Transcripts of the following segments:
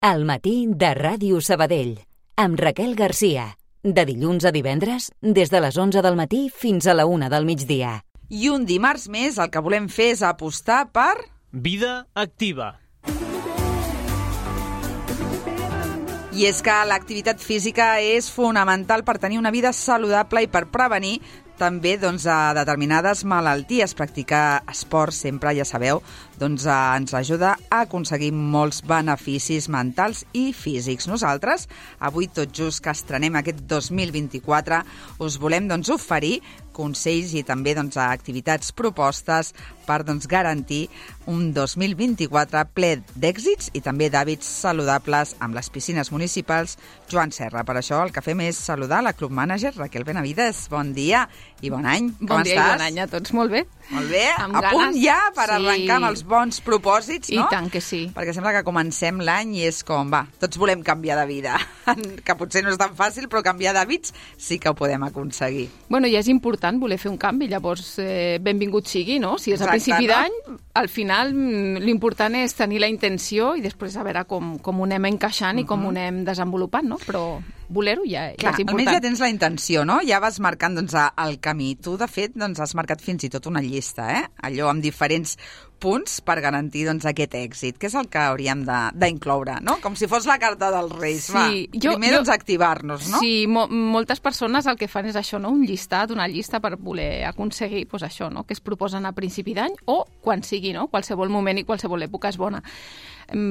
Al matí de Ràdio Sabadell, amb Raquel Garcia. De dilluns a divendres, des de les 11 del matí fins a la 1 del migdia. I un dimarts més el que volem fer és apostar per... Vida activa. I és que l'activitat física és fonamental per tenir una vida saludable i per prevenir també a determinades malalties. Practicar esport sempre, ja sabeu, ens ajuda a aconseguir molts beneficis mentals i físics. Nosaltres, avui tot just que estrenem aquest 2024, us volem oferir consells i també activitats propostes per garantir un 2024 ple d'èxits i també d'hàbits saludables amb les piscines municipals Joan Serra. Per això el que fem és saludar la club manager Raquel Benavides. Bon dia i bon any. Com estàs? Bon dia i bon any a tots. Molt bé. Molt bé. Amb a punt ganes. ja per arrencar amb els bons propòsits, no? I tant que sí. Perquè sembla que comencem l'any i és com, tots volem canviar de vida. Que potser no és tan fàcil, però canviar d'hàbits sí que ho podem aconseguir. Bueno, ja és important voler fer un canvi, llavors benvingut sigui, no? Si és a principi d'any, al final l'important és tenir la intenció i després a veure com ho anem encaixant i com ho anem desenvolupant, no? Però voler-ho ja és important. Almenys ja tens la intenció, no? Ja vas marcant el camí. Tu, de fet, has marcat fins i tot una llista, allò amb diferents punts per garantir aquest èxit, que és el que hauríem d'incloure, no? Com si fos la carta dels Reis. Sí, primer activar-nos, no? Sí, moltes persones el que fan és això, no? Un llistat, una llista per voler aconseguir això, no? Que es proposen a principi d'any o quan sigui, no? Qualsevol moment i qualsevol època és bona.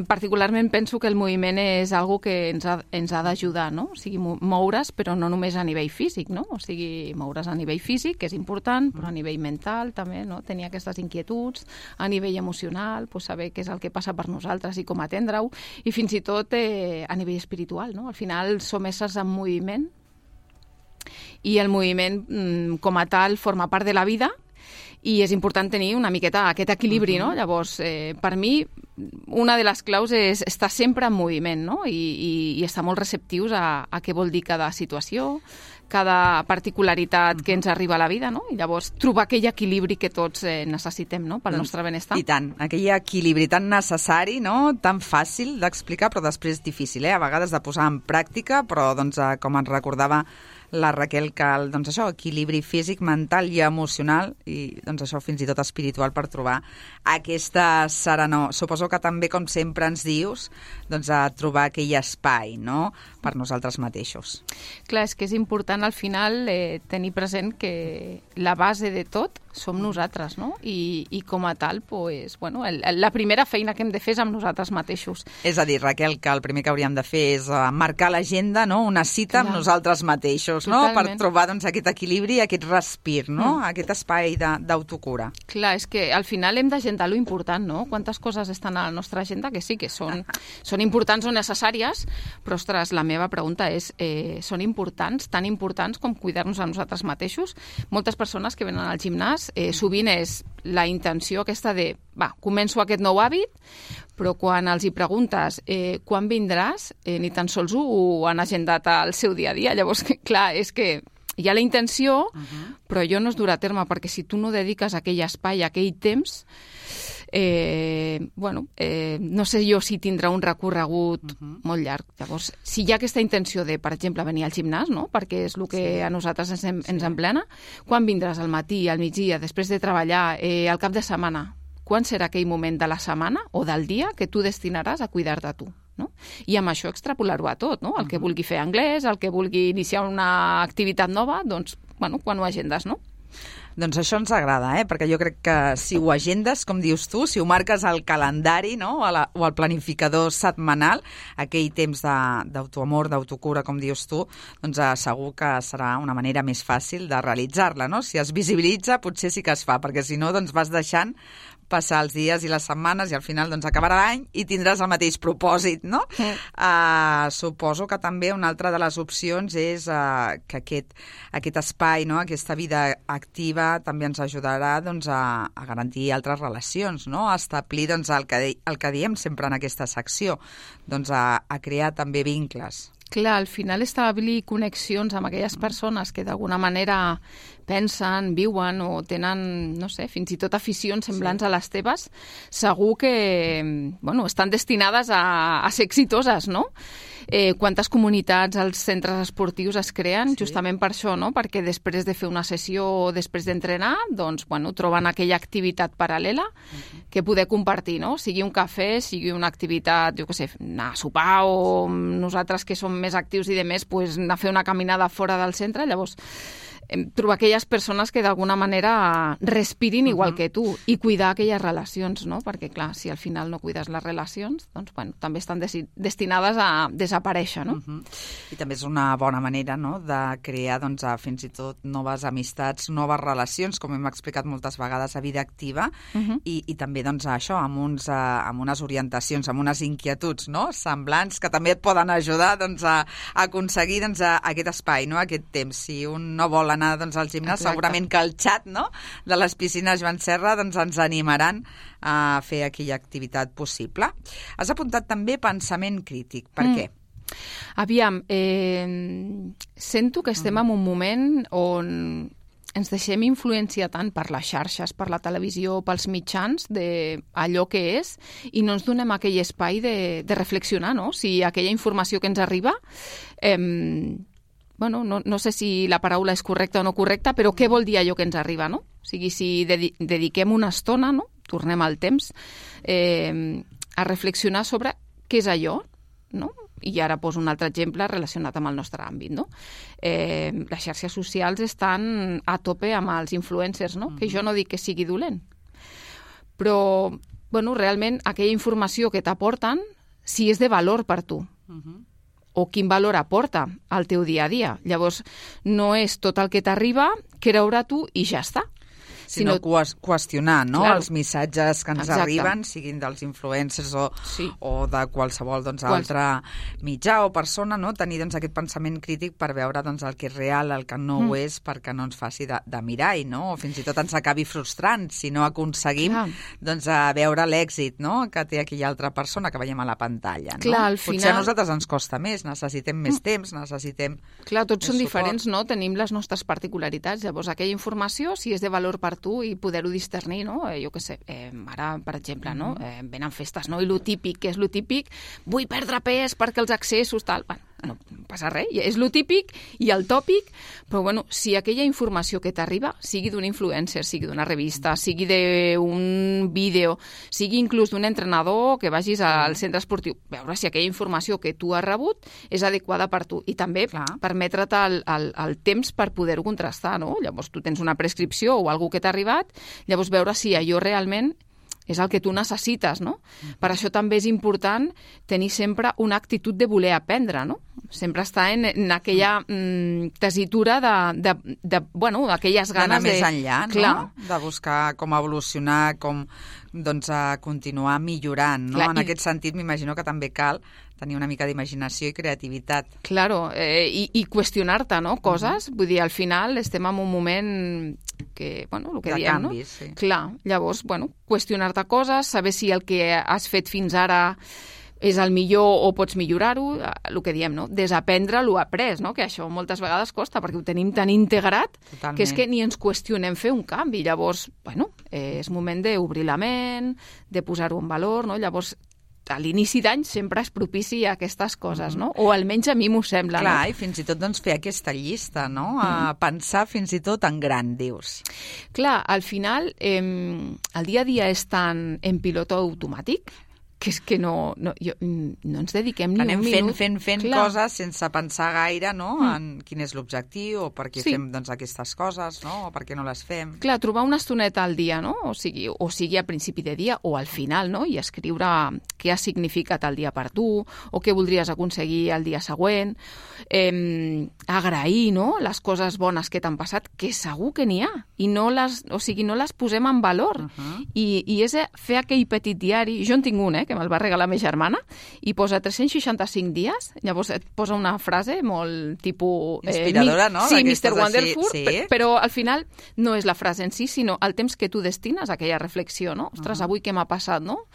Particularment penso que el moviment és algo que ens ha d'ajudar, no? O sigui, moure's, però no només a nivell físic, no? O sigui, moure's a nivell físic, que és important, però a nivell mental també, no? Tenir aquestes inquietuds, a nivell emocional, saber què és el que passa per nosaltres i com atendre-ho, i fins i tot a nivell espiritual, no? Al final som éssers en moviment i el moviment com a tal forma part de la vida i és important tenir una miqueta aquest equilibri, no? Llavors, per mi, una de les claus és estar sempre en moviment, no? I estar molt receptius a què vol dir cada situació, cada particularitat que ens arriba a la vida, no? I llavors trobar aquell equilibri que tots necessitem, no? Pel nostre benestar. I tant, aquell equilibri tan necessari, no? Tan fàcil d'explicar, però després difícil, a vegades de posar en pràctica, però com ens recordava la Raquel, que això, equilibri físic, mental i emocional, i això fins i tot espiritual per trobar aquesta serenor. Suposo que també, com sempre ens dius, a trobar aquell espai, no?, per nosaltres mateixos. Clar, és que és important al final tenir present que la base de tot som nosaltres, no? I com a tal, la primera feina que hem de fer és amb nosaltres mateixos. És a dir, Raquel, que el primer que hauríem de fer és marcar l'agenda, no?, una cita amb nosaltres mateixos, no?, per trobar aquest equilibri, aquest respir, no?, aquest espai d'autocura. Clar, és que al final hem d'agendar lo important, no? Quantes coses estan a la nostra agenda que sí que són importants o necessàries, però, ostres, la meva pregunta és, són importants, tan importants com cuidar-nos a nosaltres mateixos? Moltes persones que venen al gimnàs, sovint és la intenció aquesta de, començo aquest nou hàbit, però quan els hi preguntes quan vindràs, ni tan sols ho han agendat al seu dia a dia. Llavors, clar, és que hi ha la intenció, però allò no es durà a terme, perquè si tu no dediques aquell espai, aquell temps, no sé jo si tindrà un recorregut molt llarg. Llavors, si hi ha aquesta intenció de, per exemple, venir al gimnàs, no?, perquè és el que a nosaltres ens emplena, quan vindràs al matí, al migdia, després de treballar, al cap de setmana? Quan serà aquell moment de la setmana o del dia que tu destinaràs a cuidar-te a tu? No? I amb això extrapolar-ho a tot, no? El que vulgui fer anglès, el que vulgui iniciar una activitat nova, quan ho agendes, no? Doncs això ens agrada, perquè jo crec que si ho agendes, com dius tu, si ho marques al calendari, no?, o al planificador setmanal, aquell temps d'autoamor, d'autocura, com dius tu, segur que serà una manera més fàcil de realitzar-la, no? Si es visibilitza, potser sí que es fa, perquè si no, vas deixant passar els dies i les setmanes i al final acabarà l'any i tindràs el mateix propòsit, no? Suposo que també una altra de les opcions és que aquest espai, no?, aquesta vida activa també ens ajudarà a garantir altres relacions, no?, a establir el que diem sempre en aquesta secció, a crear també vincles. Clar, al final establir connexions amb aquelles persones que d'alguna manera pensen, viuen o tenen, no sé, fins i tot aficions semblants a les teves, segur que, bueno, estan destinades a ser exitoses, no? Quantes comunitats als centres esportius es creen justament per això, no? Perquè després de fer una sessió o després d'entrenar, doncs, bueno, troben aquella activitat paral·lela que poder compartir, no? Sigui un cafè, sigui una activitat, jo què sé, anar a sopar o nosaltres que som més actius i de més, pues, anar a fer una caminada fora del centre, llavors trobar aquelles persones que d'alguna manera respirin igual que tu i cuidar aquelles relacions, no? Perquè, clar, si al final no cuides les relacions, doncs, bueno, també estan destinades a desaparèixer, no? I també és una bona manera, no?, de crear, doncs, fins i tot noves amistats, noves relacions, com hem explicat moltes vegades a Vida Activa, i també, doncs, això, amb unes orientacions, amb unes inquietuds, no?, semblants, que també et poden ajudar, doncs, a aconseguir, doncs, aquest espai, no?, aquest temps. Si un no vol anar, doncs, al gimnàs, segurament que el xat, no?, de les piscines Joan Serra, doncs, ens animaran a fer aquella activitat possible. Has apuntat també pensament crític. Per què? Aviam, sento que estem en un moment on ens deixem influenciar tant per les xarxes, per la televisió, pels mitjans, d'allò que és, i no ens donem aquell espai de reflexionar, no? Si aquella informació que ens arriba... bueno, no sé si la paraula és correcta o no correcta, però què vol dir allò que ens arriba, no? O sigui, si dediquem una estona, no?, tornem al temps, a reflexionar sobre què és allò, no? I ara poso un altre exemple relacionat amb el nostre àmbit, no? Les xarxes socials estan a tope amb els influencers, no? Que jo no dic que sigui dolent, però, bueno, realment aquella informació que t'aporten, si és de valor per tu, o quin valor aporta al teu dia a dia. Llavors, no és tot el que t'arriba, creure tu i ja està. Sinó qüestionar, no?, els missatges que ens arriben, siguin dels influencers o de qualsevol, doncs, altre mitjà o persona, no?, tenir, doncs, aquest pensament crític per veure, doncs, el que és real, el que no ho és, perquè no ens faci de mirall, no?, o fins i tot ens acabi frustrant si no aconseguim, doncs, veure l'èxit, no?, que té aquella altra persona que veiem a la pantalla, no? Clar, al final... Potser a nosaltres ens costa més, necessitem més temps, necessitem... Clar, tots són diferents, no?, tenim les nostres particularitats, llavors aquella informació, si és de valor per tu i poder-ho discernir, no? Jo què sé, ara, per exemple, no? Venen festes, no? I lo típic, què és lo típic? Vull perdre pes perquè els accessos, tal... Bueno, no passa res, és lo típic i el tòpic, però, bueno, si aquella informació que t'arriba, sigui d'un influencer, sigui d'una revista, sigui d'un vídeo, sigui inclús d'un entrenador que vagis al centre esportiu, veure si aquella informació que tu has rebut és adequada per tu i també permetre't el temps per poder-ho contrastar, no? Llavors tu tens una prescripció o algú que t'ha arribat, llavors veure si allò realment és el que tu necessites, no? Per això també és important tenir sempre una actitud de voler aprendre, no? Sempre estar en aquella tessitura bueno, aquelles ganes d'anar més enllà, no? De buscar com evolucionar, com, doncs, a continuar millorant, no? En aquest sentit, m'imagino que també cal tenir una mica d'imaginació i creativitat. Claro, i qüestionar-te, no?, coses. Vull dir, al final estem en un moment que, bueno, el que diem, canvi, no? Sí. Clar, llavors, bueno, qüestionar-te coses, saber si el que has fet fins ara és el millor o pots millorar-ho, el que diem, no? Desaprendre l'ho après, no? Que això moltes vegades costa, perquè ho tenim tan integrat que és que ni ens qüestionem fer un canvi. Llavors, bueno, és moment d'obrir la ment, de posar-ho en valor, no? Llavors, a l'inici d'any sempre és propici a aquestes coses, no? O almenys a mi m'ho sembla. Clar, no? I fins i tot, doncs, fer aquesta llista, no? A pensar fins i tot en gran, dius. Clar, al final, el dia a dia és tan en pilot automàtic que és que no ens dediquem ni un minut. Anem fent coses sense pensar gaire, no?, en quin és l'objectiu o per què fem, doncs, aquestes coses, no?, o per què no les fem. Clar, trobar una estoneta al dia, no?, o sigui a principi de dia o al final, no?, i escriure què ha significat el dia per tu o què voldries aconseguir el dia següent, agrair, no?, les coses bones que t'han passat, que segur que n'hi ha, i no les posem en valor. I és fer aquell petit diari, jo en tinc un, que me'l va regalar la meva germana, i posa 365 dies, llavors et posa una frase molt tipus... Inspiradora, no? Sí, Mr. Wonderful, sí. però al final no és la frase en si, sinó el temps que tu destines a aquella reflexió, no? Ostres, avui què m'ha passat, no?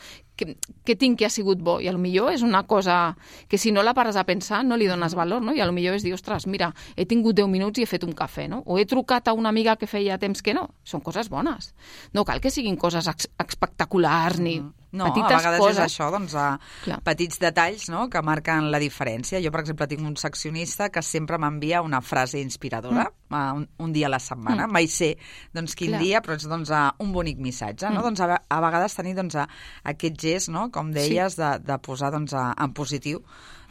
Què tinc que ha sigut bo? I potser és una cosa que si no la pares a pensar no li dones valor, no? I potser és dir, ostres, mira, he tingut 10 minuts i he fet un cafè, no? O he trucat a una amiga que feia temps que no. Són coses bones. No cal que siguin coses espectaculars ni no, petites a vegades coses. És això, doncs, petits detalls, no?, que marquen la diferència. Jo, per exemple, tinc un seccionista que sempre m'envia una frase inspiradora un dia a la setmana. Mai sé doncs, quin dia, però és doncs, un bonic missatge. No? Doncs, a vegades tenir doncs, aquest gest, no?, com deies, de posar doncs, en positiu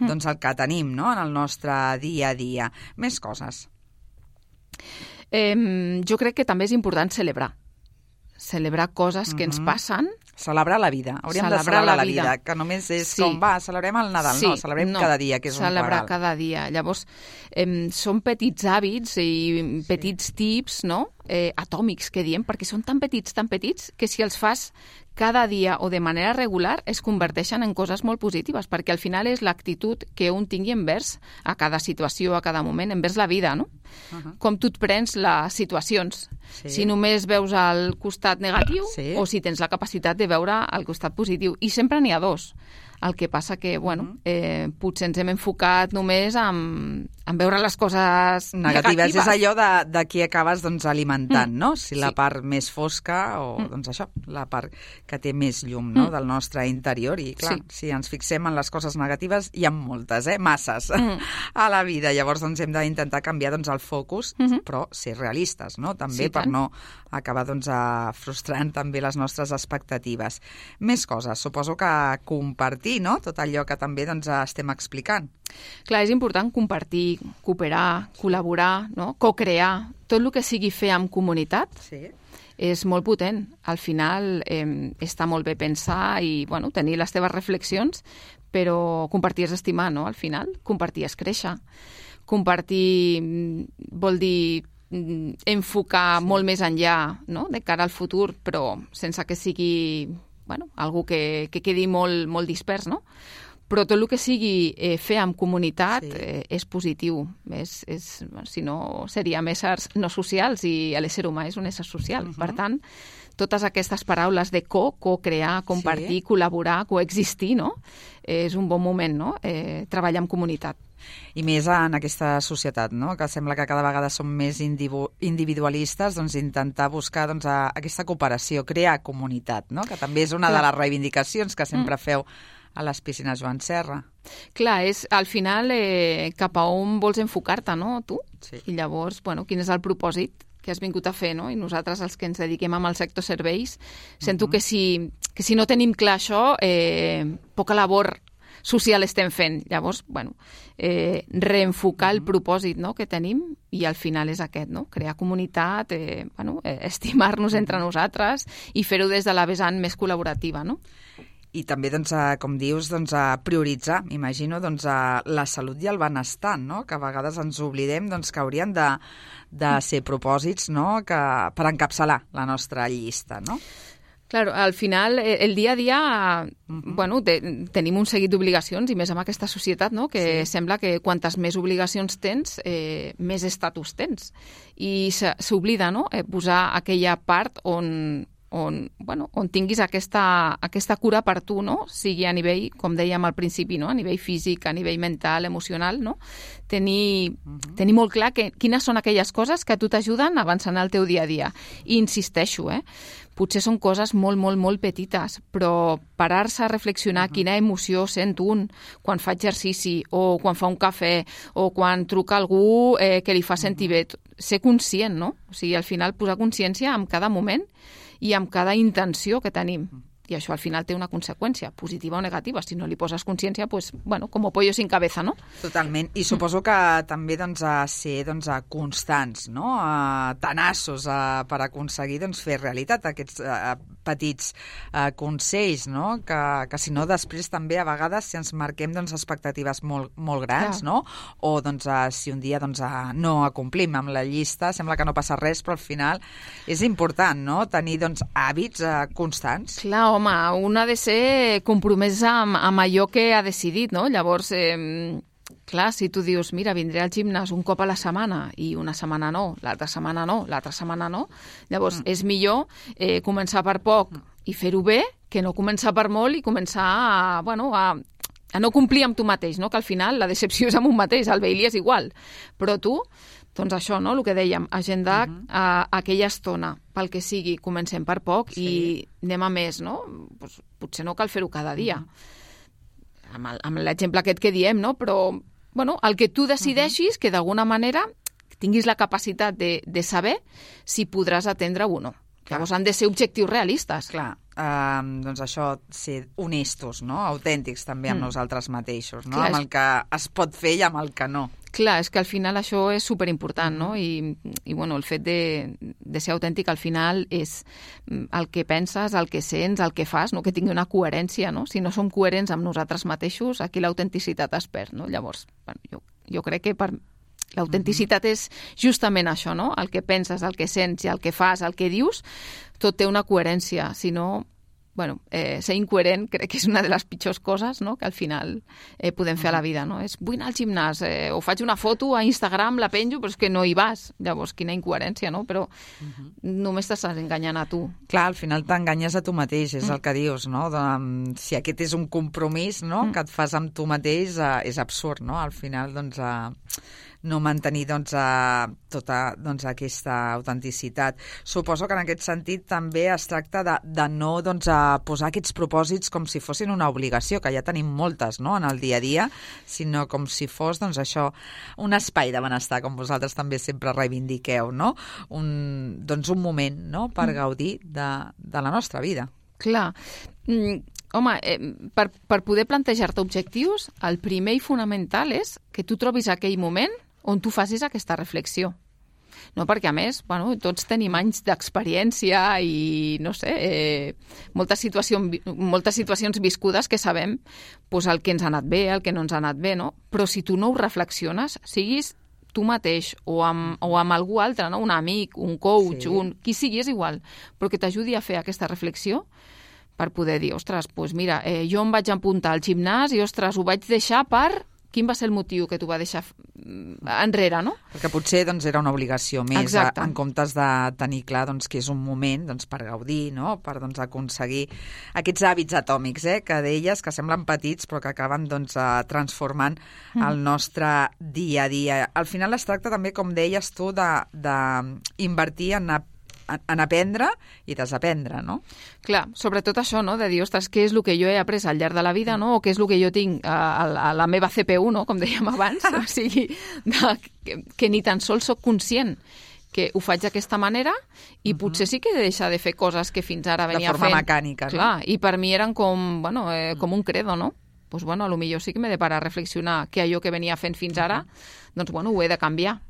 doncs, el que tenim, no?, en el nostre dia a dia. Més coses. Jo crec que també és important celebrar coses que ens passen. Celebrar la vida. Hauríem de celebrar la vida, que només és com, celebrem el Nadal. No, celebrem cada dia, que és un regal. Celebrar cada dia. Llavors, són petits hàbits i petits tips, no?, atòmics, que diem, perquè són tan petits, que si els fas cada dia o de manera regular es converteixen en coses molt positives, perquè al final és l'actitud que un tingui envers a cada situació, a cada moment, envers la vida, no? Com tu et prens les situacions. Si només veus el costat negatiu o si tens la capacitat de veure el costat positiu. I sempre n'hi ha dos. El que passa que, potser ens hem enfocat només en veure les coses negatives. És allò de qui acabes doncs, alimentant, no? Si la part més fosca o, doncs això, la part que té més llum, no?, del nostre interior. I, clar, si ens fixem en les coses negatives, hi ha moltes, masses a la vida. Llavors, doncs, hem d'intentar canviar doncs, el focus, però ser realistes, no?, també per no acabar doncs, frustrant també les nostres expectatives. Més coses. Suposo que compartir, no?, tot allò que també doncs, estem explicant. Clar, és important compartir, cooperar, col·laborar, no?, co-crear. Tot el que sigui fer amb comunitat és molt potent. Al final està molt bé pensar i tenir les teves reflexions, però compartir és estimar, no?, al final. Compartir és créixer. Compartir vol dir enfocar molt més enllà, no?, de cara al futur, però sense que sigui algú que quedi molt, molt dispers, no? Però tot el que sigui fer amb comunitat és positiu. Si no, seríem éssers no socials i l'ésser humà és un ésser social. Per tant, totes aquestes paraules de co-crear, compartir, col·laborar, coexistir, no?, és un bon moment, no?, treballar en comunitat. I més en aquesta societat, no?, que sembla que cada vegada som més individualistes, doncs intentar buscar doncs, aquesta cooperació, crear comunitat, no?, que també és una de les reivindicacions que sempre feu a les piscines Joan Serra. Clar, és al final cap a on vols enfocar-te, no, tu? I llavors, quin és el propòsit que has vingut a fer, no? I nosaltres, els que ens dediquem al sector serveis, sento que si no tenim clar això, poca labor social estem fent. Llavors, reenfocar el propòsit, no?, que tenim, i al final és aquest, no?, crear comunitat, estimar-nos entre nosaltres i fer-ho des de la vessant més col·laborativa, no? I també, doncs, com dius, doncs, prioritzar, m'imagino, doncs, la salut i el benestar, no?, que a vegades ens oblidem doncs, que haurien de ser propòsits, no?, per encapçalar la nostra llista, no? Claro, al final, el dia a dia, tenim un seguit d'obligacions, i més amb aquesta societat, no?, que sembla que quantes més obligacions tens, més estatus tens. I s'oblida, no?, posar aquella part on tinguis aquesta cura per tu, no?, sigui a nivell, com dèiem al principi, no?, a nivell físic, a nivell mental, emocional, no?, tenir molt clar quines són aquelles coses que a tu t'ajuden a avançar en el teu dia a dia. I insisteixo, potser són coses molt, molt, molt petites, però parar-se a reflexionar quina emoció sent un quan fa exercici, o quan fa un cafè, o quan truca algú que li fa sentir bé. Ser conscient, no? O sigui, al final posar consciència en cada moment i amb cada intenció que tenim. I això al final té una conseqüència, positiva o negativa. Si no li poses consciència, pues, como pollo sin cabeza, no? Totalment. I suposo que també ser constants, no? Tenaços per aconseguir fer realitat aquests petits consells, no? Que si no, després també a vegades si ens marquem doncs, expectatives molt grans, no? O doncs, si un dia doncs, no acomplim amb la llista, sembla que no passa res, però al final és important, no? Tenir doncs, hàbits constants. Clar, home, un ha de ser compromès amb allò que ha decidit, no? Llavors, clar, si tu dius, mira, vindré al gimnàs un cop a la setmana i una setmana no, l'altra setmana no, l'altra setmana no, llavors és millor començar per poc i fer-ho bé que no començar per molt i començar a no complir amb tu mateix, no? Que al final la decepció és amb un mateix, el Bailey és igual, però tu, doncs això, no? El que dèiem, agendar aquella estona, pel que sigui, comencem per poc i anem a més, no? Pues, potser no cal fer-ho cada dia, amb l'exemple aquest que diem, no? Però el que tu decideixis que d'alguna manera tinguis la capacitat de saber si podràs atendre o no. Llavors han de ser objectius realistes. Clar, doncs això, ser honestos, no? Autèntics també amb nosaltres mateixos, no? Clar, amb el que es pot fer i amb el que no. Clar, és que al final això és superimportant, no? I el fet de ser autèntic al final és el que penses, el que sents, el que fas, no? Que tingui una coherència, no? Si no som coherents amb nosaltres mateixos, aquí l'autenticitat es perd, no? Llavors, jo crec que l'autenticitat és justament això, no? El que penses, el que sents i el que fas, el que dius, tot té una coherència. Si no, ser incoherent crec que és una de les pitjors coses, no? Que al final podem fer a la vida, no? Vull anar al gimnàs, o faig una foto a Instagram, la penjo, però és que no hi vas. Llavors, quina incoherència, no? Però només t'estàs enganyant a tu. Clar, al final t'enganyes a tu mateix, és el que dius, no? Si aquest és un compromís, no? Que et fas amb tu mateix, és absurd, no? Al final, doncs, no mantenir tota aquesta autenticitat. Suposo que en aquest sentit també es tracta de no posar aquests propòsits com si fossin una obligació, que ja tenim moltes, no?, en el dia a dia, sinó com si fos això, un espai de benestar, com vosaltres també sempre reivindiqueu, no? Un moment, no?, per gaudir de la nostra vida. Clar. Home, per poder plantejar-te objectius, el primer i fonamental és que tu trobis aquell moment on tu facis aquesta reflexió. No, perquè, a més, tots tenim anys d'experiència i, no sé, moltes situacions viscudes que sabem el que ens ha anat bé, el que no ens ha anat bé, no? Però si tu no ho reflexiones, siguis tu mateix o amb algú altre, no? Un amic, un coach, qui sigui, és igual, però que t'ajudi a fer aquesta reflexió per poder dir, ostres, doncs mira, jo em vaig apuntar al gimnàs i, ostres, ho vaig deixar per... Quin va ser el motiu que t'ho va deixar enrere, no? Perquè potser era una obligació més, en comptes de tenir clar que és un moment per gaudir, no? Per aconseguir aquests hàbits atòmics, que deies que semblen petits però que acaben transformant el nostre dia a dia. Al final es tracta també, com deies tu, d'invertir en aprendre i desaprendre, no? Clar, sobretot això, no?, de dir, ostres, què és el que jo he après al llarg de la vida, no?, o què és el que jo tinc a la meva CPU, no?, com dèiem abans, o sigui, que ni tan sols soc conscient que ho faig d'aquesta manera i potser sí que he de deixar de fer coses que fins ara venia fent. De forma mecànica, no? Clar, i per mi eren com un credo, no? Doncs, potser sí que m'he de parar a reflexionar que allò que venia fent fins ara, doncs, ho he de canviar.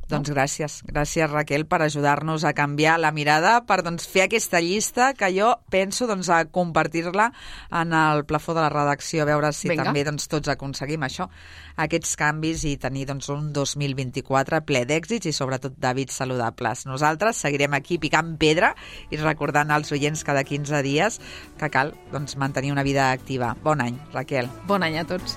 Doncs gràcies, Raquel, per ajudar-nos a canviar la mirada, per fer aquesta llista que jo penso a compartir-la en el plafó de la redacció, a veure si també tots aconseguim això, aquests canvis i tenir un 2024 ple d'èxits i sobretot d'hàbits saludables. Nosaltres seguirem aquí picant pedra i recordant als oients cada 15 dies que cal mantenir una vida activa. Bon any, Raquel. Bon any a tots.